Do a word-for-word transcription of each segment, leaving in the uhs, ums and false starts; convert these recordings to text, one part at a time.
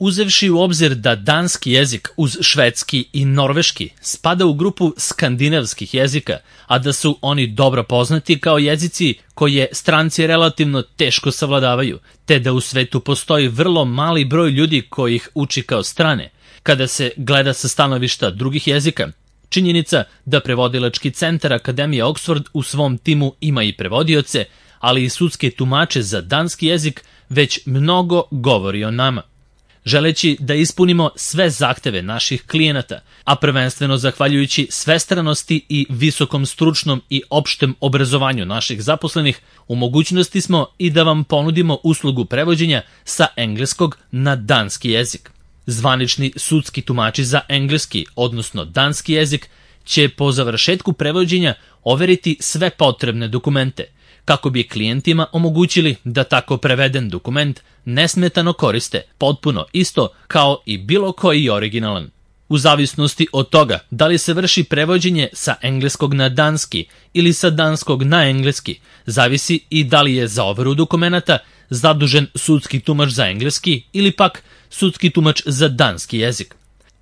Uzevši u obzir da danski jezik uz švedski i norveški spada u grupu skandinavskih jezika, a da su oni dobro poznati kao jezici koje stranci relativno teško savladavaju, te da u svetu postoji vrlo mali broj ljudi koji ih uči kao strane, kada se gleda sa stanovišta drugih jezika, činjenica da prevodilački centar Akademije Oxford u svom timu ima i prevodioce, ali i sudske tumače za danski jezik, već mnogo govori o nama. Želeći da ispunimo sve zahteve naših klijenata, a prvenstveno zahvaljujući svestranosti i visokom stručnom i opštem obrazovanju naših zaposlenih, u mogućnosti smo i da vam ponudimo uslugu prevođenja sa engleskog na danski jezik. Zvanični sudski tumači za engleski, odnosno danski jezik, će po završetku prevođenja overiti sve potrebne dokumente, kako bi klijentima omogućili da tako preveden dokument nesmetano koriste, potpuno isto kao i bilo koji originalan. U zavisnosti od toga da li se vrši prevođenje sa engleskog na danski ili sa danskog na engleski, zavisi i da li je za overu dokumenata zadužen sudski tumač za engleski ili pak sudski tumač za danski jezik.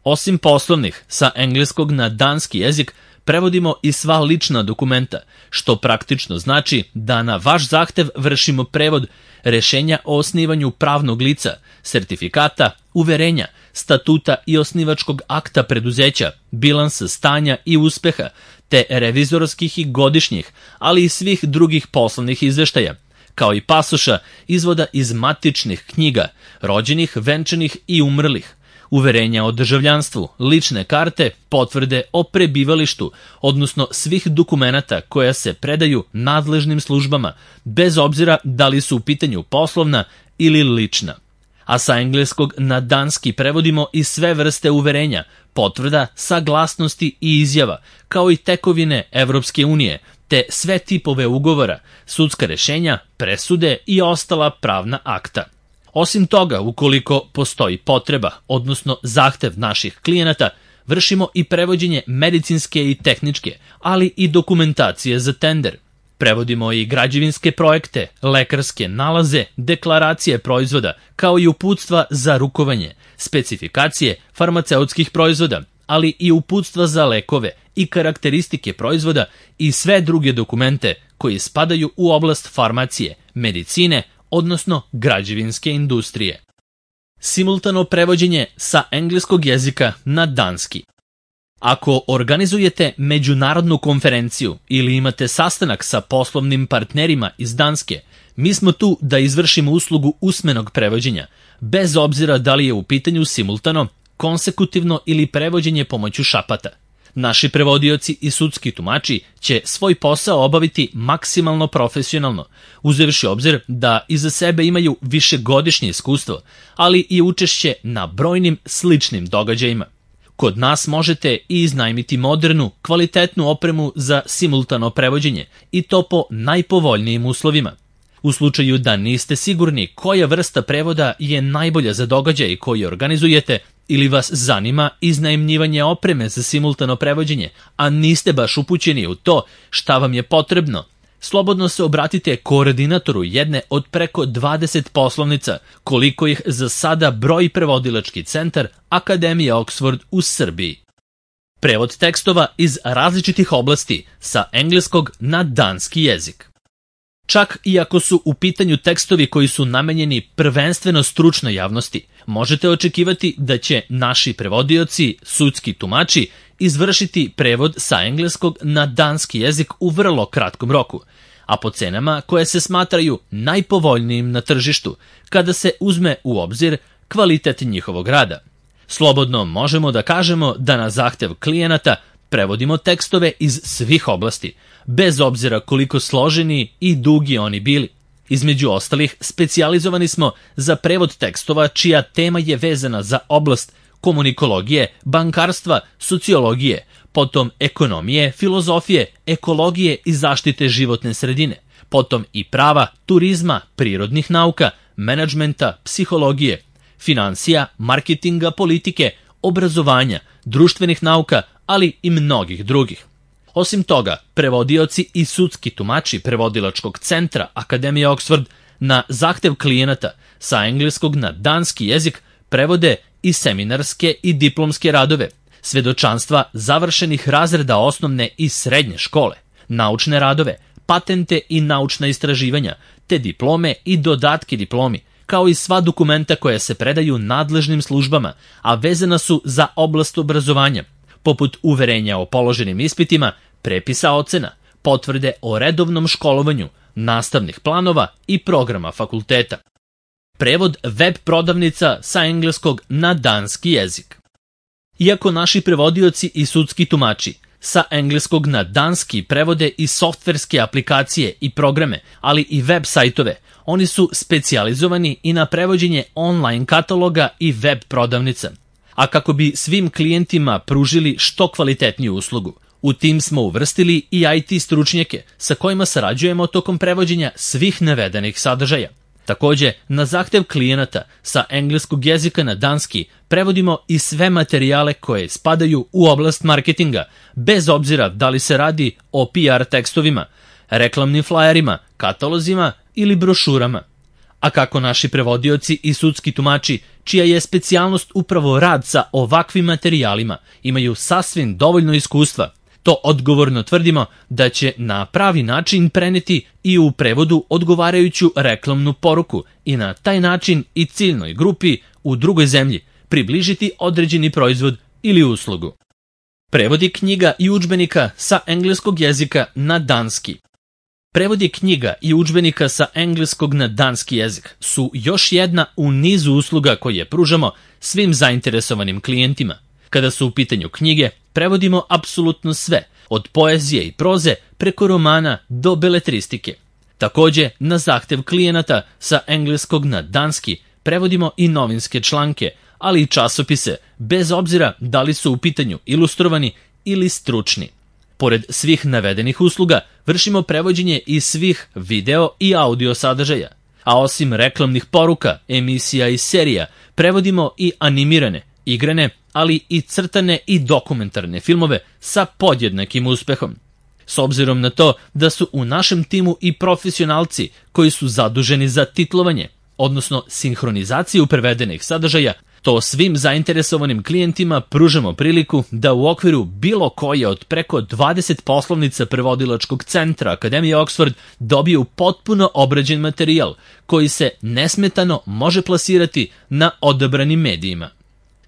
Osim poslovnih sa engleskog na danski jezik, prevodimo i sva lična dokumenta, što praktično znači da na vaš zahtev vršimo prevod rešenja o osnivanju pravnog lica, sertifikata, uverenja, statuta i osnivačkog akta preduzeća, bilansa stanja i uspeha, te revizorskih i godišnjih, ali i svih drugih poslovnih izveštaja, kao i pasoša, izvoda iz matičnih knjiga, rođenih, venčanih i umrlih, uverenja o državljanstvu, lične karte, potvrde o prebivalištu, odnosno svih dokumenata koja se predaju nadležnim službama, bez obzira da li su u pitanju poslovna ili lična. A sa engleskog na danski prevodimo i sve vrste uverenja, potvrda, saglasnosti i izjava, kao i tekovine Evropske unije, te sve tipove ugovora, sudska rešenja, presude i ostala pravna akta. Osim toga, ukoliko postoji potreba, odnosno zahtev naših klijenata, vršimo i prevođenje medicinske i tehničke, ali i dokumentacije za tender. Prevodimo i građevinske projekte, lekarske nalaze, deklaracije proizvoda, kao i uputstva za rukovanje, specifikacije farmaceutskih proizvoda, ali i uputstva za lekove i karakteristike proizvoda i sve druge dokumente koji spadaju u oblast farmacije, medicine, odnosno građevinske industrije. Simultano prevođenje sa engleskog jezika na danski. Ako organizujete međunarodnu konferenciju ili imate sastanak sa poslovnim partnerima iz Danske, mi smo tu da izvršimo uslugu usmenog prevođenja, bez obzira da li je u pitanju simultano, konsekutivno ili prevođenje pomoću šapata. Naši prevodioci i sudski tumači će svoj posao obaviti maksimalno profesionalno, uzevši obzir da iza sebe imaju višegodišnje iskustvo, ali i učešće na brojnim sličnim događajima. Kod nas možete i iznajmiti modernu, kvalitetnu opremu za simultano prevođenje i to po najpovoljnijim uslovima. U slučaju da niste sigurni koja vrsta prevoda je najbolja za događaj koji organizujete ili vas zanima iznajmljivanje opreme za simultano prevođenje, a niste baš upućeni u to šta vam je potrebno, slobodno se obratite koordinatoru jedne od preko dvadeset poslovnica, koliko ih za sada broji prevodilački centar Akademije Oxford u Srbiji. Prevod tekstova iz različitih oblasti sa engleskog na danski jezik. Čak i ako su u pitanju tekstovi koji su namenjeni prvenstveno stručnoj javnosti, možete očekivati da će naši prevodioci, sudski tumači, izvršiti prevod sa engleskog na danski jezik u vrlo kratkom roku, a po cenama koje se smatraju najpovoljnijim na tržištu, kada se uzme u obzir kvalitet njihovog rada. Slobodno možemo da kažemo da na zahtev klijenata prevodimo tekstove iz svih oblasti, bez obzira koliko složeni i dugi oni bili. Između ostalih, specijalizovani smo za prevod tekstova čija tema je vezana za oblast komunikologije, bankarstva, sociologije, potom ekonomije, filozofije, ekologije i zaštite životne sredine, potom i prava, turizma, prirodnih nauka, menadžmenta, psihologije, finansija, marketinga, politike, obrazovanja, društvenih nauka, ali i mnogih drugih. Osim toga, prevodioci i sudski tumači prevodilačkog centra Akademije Oxford na zahtev klijenata sa engleskog na danski jezik prevode i seminarske i diplomske radove, svedočanstva završenih razreda osnovne i srednje škole, naučne radove, patente i naučna istraživanja, te diplome i dodatke diplomi, kao i sva dokumenta koja se predaju nadležnim službama, a vezana su za oblast obrazovanja, poput uverenja o položenim ispitima, prepisa ocena, potvrde o redovnom školovanju, nastavnih planova i programa fakulteta. Prevod web prodavnica sa engleskog na danski jezik. Iako naši prevodioci i sudski tumači sa engleskog na danski prevode i softverske aplikacije i programe, ali i web sajtove, oni su specijalizovani i na prevođenje online kataloga i web prodavnica. A kako bi svim klijentima pružili što kvalitetniju uslugu, u tim smo uvrstili i I T stručnjake sa kojima sarađujemo tokom prevođenja svih navedenih sadržaja. Takođe, na zahtev klijenata sa engleskog jezika na danski prevodimo i sve materijale koje spadaju u oblast marketinga, bez obzira da li se radi o P R tekstovima, reklamnim flajerima, katalozima ili brošurama. A kako naši prevodioci i sudski tumači, čija je specijalnost upravo rad sa ovakvim materijalima, imaju sasvim dovoljno iskustva, to odgovorno tvrdimo da će na pravi način preneti i u prevodu odgovarajuću reklamnu poruku i na taj način i ciljnoj grupi u drugoj zemlji približiti određeni proizvod ili uslugu. Prevodi knjiga i udžbenika sa engleskog jezika na danski. Prevodi knjiga i udžbenika sa engleskog na danski jezik su još jedna u nizu usluga koje pružamo svim zainteresovanim klijentima. Kada su u pitanju knjige, prevodimo apsolutno sve, od poezije i proze preko romana do beletristike. Takođe, na zahtev klijenata sa engleskog na danski prevodimo i novinske članke, ali i časopise, bez obzira da li su u pitanju ilustrovani ili stručni. Pored svih navedenih usluga, vršimo prevođenje i svih video i audio sadržaja. A osim reklamnih poruka, emisija i serija, prevodimo i animirane, igrane, ali i crtane i dokumentarne filmove sa podjednakim uspehom. S obzirom na to da su u našem timu i profesionalci koji su zaduženi za titlovanje, odnosno sinhronizaciju prevedenih sadržaja, to svim zainteresovanim klijentima pružamo priliku da u okviru bilo koje od preko dvadeset poslovnica prevodilačkog centra Akademije Oxford dobiju potpuno obrađen materijal koji se nesmetano može plasirati na odabranim medijima.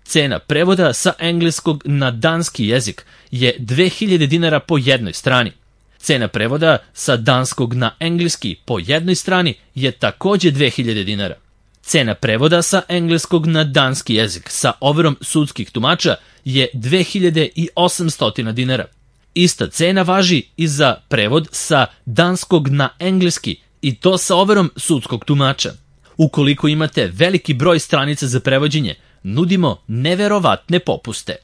Cena prevoda sa engleskog na danski jezik je dve hiljade dinara po jednoj strani. Cena prevoda sa danskog na engleski po jednoj strani je takođe dve hiljade dinara. Cena prevoda sa engleskog na danski jezik sa overom sudskih tumača je dve hiljade osamsto dinara. Ista cena važi i za prevod sa danskog na engleski i to sa overom sudskog tumača. Ukoliko imate veliki broj stranica za prevođenje, nudimo neverovatne popuste.